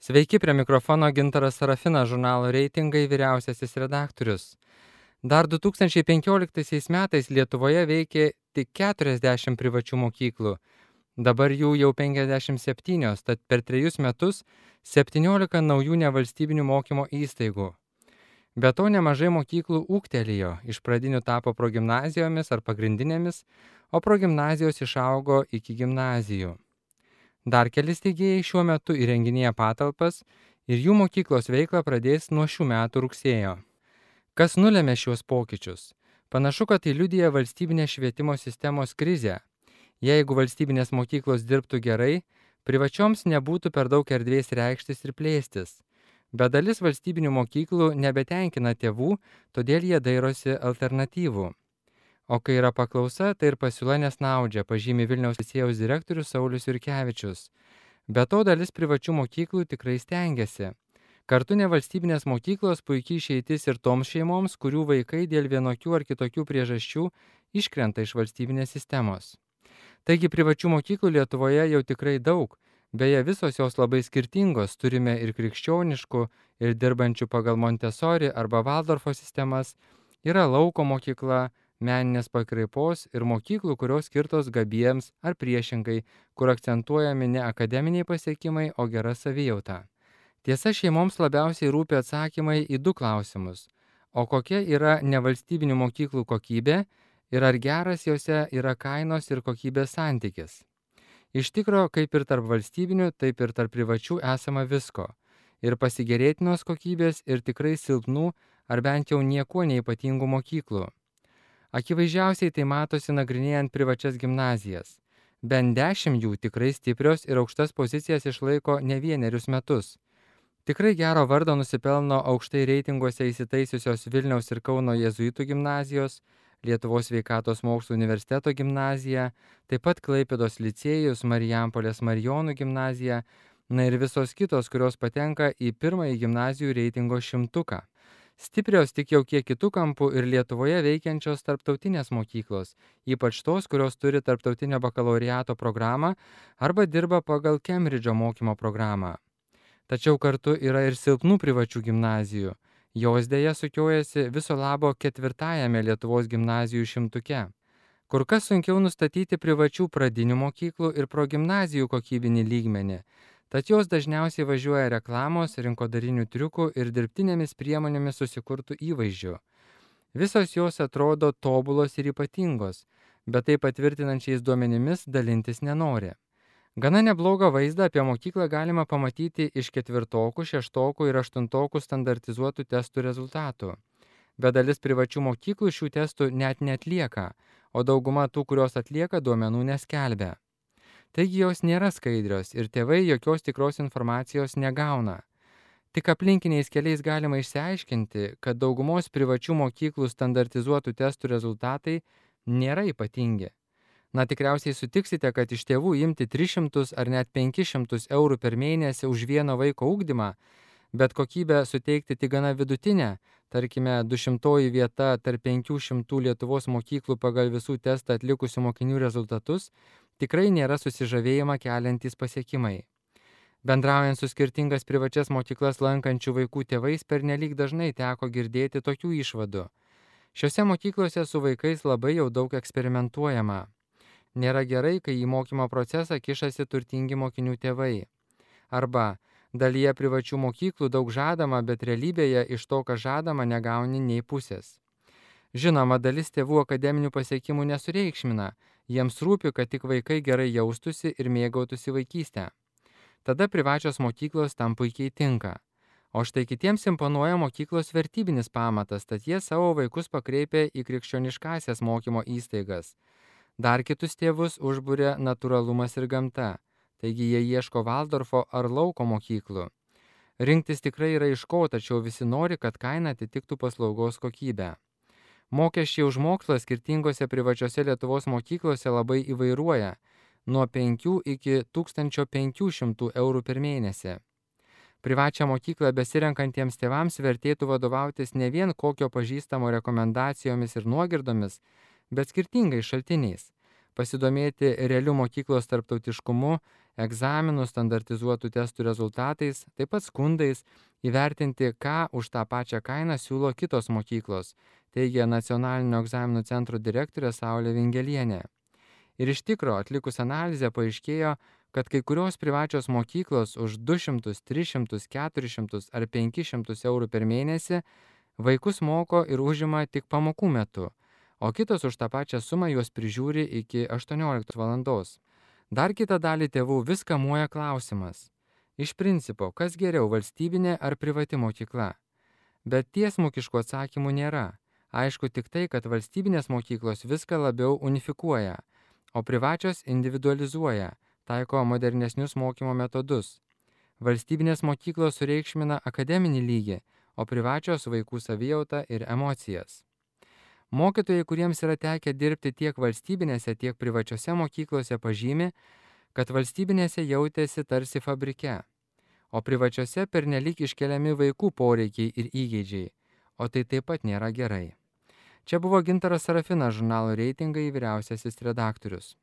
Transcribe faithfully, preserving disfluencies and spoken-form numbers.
Sveiki, prie mikrofono Gintaras Sarafinas, žurnalo Reitingai vyriausiasis redaktorius. Dar du tūkstančiai penkioliktaisiais metais Lietuvoje veikė tik keturiasdešimt privačių mokyklų. Dabar jų jau penkiasdešimt septynios, tad per trejus metus septyniolika naujų nevalstybinių mokymo įstaigų. Be to nemažai mokyklų ūgtelėjo, iš pradinių tapo progimnazijomis ar pagrindinėmis, o progimnazijos išaugo iki gimnazijų. Dar keli steigėjai šiuo metu įrenginėja patalpas ir jų mokyklos veiklą pradės nuo šių metų rugsėjo. Kas nulėmė šiuos pokyčius? Panašu, kad tai liudija valstybinės švietimo sistemos krizę. Jeigu valstybinės mokyklos dirbtų gerai, privačioms nebūtų per daug erdvės reikštis ir plėstis. Bet dalis valstybinių mokyklų nebetenkina tėvų, todėl jie dairosi alternatyvų. O kai yra paklausa, tai ir pasiūla nesnaudžia, pažymi Vilniaus licėjaus direktorius Saulius Jurkevičius. Be to dalis privačių mokyklų tikrai stengiasi. Kartu nevalstybinės mokyklos puikiai išeitis ir toms šeimoms, kurių vaikai dėl vienokių ar kitokių priežasčių iškrenta iš valstybinės sistemos. Taigi privačių mokyklų Lietuvoje jau tikrai daug, beje visos jos labai skirtingos, turime ir krikščioniškų, ir dirbančių pagal Montessori arba Valdorfo sistemas, yra lauko mokykla, meninės pakraipos ir mokyklų, kurios skirtos gabiems ar priešingai, kur akcentuojami ne akademiniai pasiekimai, o gera savijauta. Tiesa, šeimoms labiausiai rūpi atsakymai į du klausimus. O kokia yra nevalstybinių mokyklų kokybė ir ar geras jose yra kainos ir kokybės santykis? Iš tikro, kaip ir tarp valstybinių, taip ir tarp privačių esama visko. Ir pasigėrėtinos kokybės, ir tikrai silpnų ar bent jau niekuo neypatingų mokyklų. Akivaizdžiausiai tai matosi nagrinėjant privačias gimnazijas. Bent dešimt jų tikrai stiprios ir aukštas pozicijas išlaiko ne vienerius metus. Tikrai gero vardo nusipelno aukštai reitinguose įsitaisiusios Vilniaus ir Kauno jėzuitų gimnazijos, Lietuvos sveikatos mokslų universiteto gimnazija, taip pat Klaipėdos licėjus, Marijampolės Marijonų gimnazija, na ir visos kitos, kurios patenka į pirmąjį gimnazijų reitingo šimtuką. Stiprios tik jau kiek kitų kampų ir Lietuvoje veikiančios tarptautinės mokyklos, ypač tos, kurios turi tarptautinio bakalaureato programą arba dirba pagal Kembridžo mokymo programą. Tačiau kartu yra ir silpnų privačių gimnazijų. Jos dėja sukiojasi viso labo ketvirtajame Lietuvos gimnazijų šimtuke. Kur kas sunkiau nustatyti privačių pradinių mokyklų ir progimnazijų kokybinį lygmenį. Tad jos dažniausiai važiuoja reklamos, rinkodarinių triukų ir dirbtinėmis priemonėmis susikurtų įvaizdžių. Visos jos atrodo tobulos ir ypatingos, bet tai patvirtinančiais duomenimis dalintis nenori. Gana neblogą vaizdą apie mokyklą galima pamatyti iš ketvirtokų, šeštokų ir aštuntokų standartizuotų testų rezultatų. Bet dalis privačių mokyklų šių testų net neatlieka, o dauguma tų, kurios atlieka, duomenų neskelbia. Taigi jos nėra skaidrios ir tėvai jokios tikros informacijos negauna. Tik aplinkiniais keliais galima išsiaiškinti, kad daugumos privačių mokyklų standartizuotų testų rezultatai nėra ypatingi. Na tikriausiai sutiksite, kad iš tėvų imti tris šimtus ar net penkis šimtus eurų per mėnesį už vieno vaiko ugdymą, bet kokybę suteikti tik gana vidutinę, tarkime du šimtoji vieta tarp penkių šimtų Lietuvos mokyklų pagal visų testą atlikusių mokinių rezultatus, tikrai nėra susižavėjimą keliantys pasiekimai. Bendraujant su skirtingas privačias mokyklas lankančių vaikų tėvais pernelyg dažnai teko girdėti tokių išvadų. Šiose mokyklose su vaikais labai jau daug eksperimentuojama. Nėra gerai, kai į mokymo procesą kišasi turtingi mokinių tėvai. Arba dalyje privačių mokyklų daug žadama, bet realybėje iš to, kas žadama, negauni nei pusės. Žinoma, dalis tėvų akademinių pasiekimų nesureikšmina, jiems rūpi, kad tik vaikai gerai jaustųsi ir mėgautųsi vaikystę. Tada privačios mokyklos tam puikiai tinka. O štai kitiems imponuoja mokyklos vertybinis pamatas, tad jie savo vaikus pakreipia į krikščioniškąsias mokymo įstaigas. Dar kitus tėvus užburia natūralumas ir gamta, taigi jie ieško Valdorfo ar lauko mokyklų. Rinktis tikrai yra iš ko, tačiau visi nori, kad kaina atitiktų paslaugos kokybę. Mokesčiai už mokslą skirtingose privačiose Lietuvos mokyklose labai įvairuoja, nuo penkių iki tūkstančio penkių šimtų eurų per mėnesį. Privačią mokyklą besirenkantiems tėvams vertėtų vadovautis ne vien kokio pažįstamo rekomendacijomis ir nuogirdomis, bet skirtingais šaltiniais. pasidomėti realiu mokyklos tarptautiškumu, egzaminų, standartizuotų testų rezultatais, taip pat skundais, įvertinti, ką už tą pačią kainą siūlo kitos mokyklos, teigia Nacionalinio egzaminų centro direktorė Saulė Vingelienė. Ir iš tikro, atlikus analizę paaiškėjo, kad kai kurios privačios mokyklos už du šimtus, tris šimtus, keturis šimtus ar penkis šimtus eurų per mėnesį vaikus moko ir užima tik pamokų metu, o kitos už tą pačią sumą juos prižiūri iki aštuonioliktos valandos. Dar kitą dalį tėvų vis kamuoja klausimas. Iš principo, kas geriau, valstybinė ar privati mokykla? Bet tiesmukiškų atsakymų nėra. Aišku tik tai, kad valstybinės mokyklos viską labiau unifikuoja, o privačios individualizuoja, taiko modernesnius mokymo metodus. Valstybinės mokyklos sureikšmina akademinį lygį, o privačios vaikų savijautą ir emocijas. Mokytojai, kuriems yra tekę dirbti tiek valstybinėse, tiek privačiose mokyklose, pažymi, kad valstybinėse jautėsi tarsi fabrike, o privačiose pernelyg iškeliami vaikų poreikiai ir įgeidžiai, o tai taip pat nėra gerai. Čia buvo Gintaras Sarafinas, žurnalo Reitingai vyriausiasis redaktorius.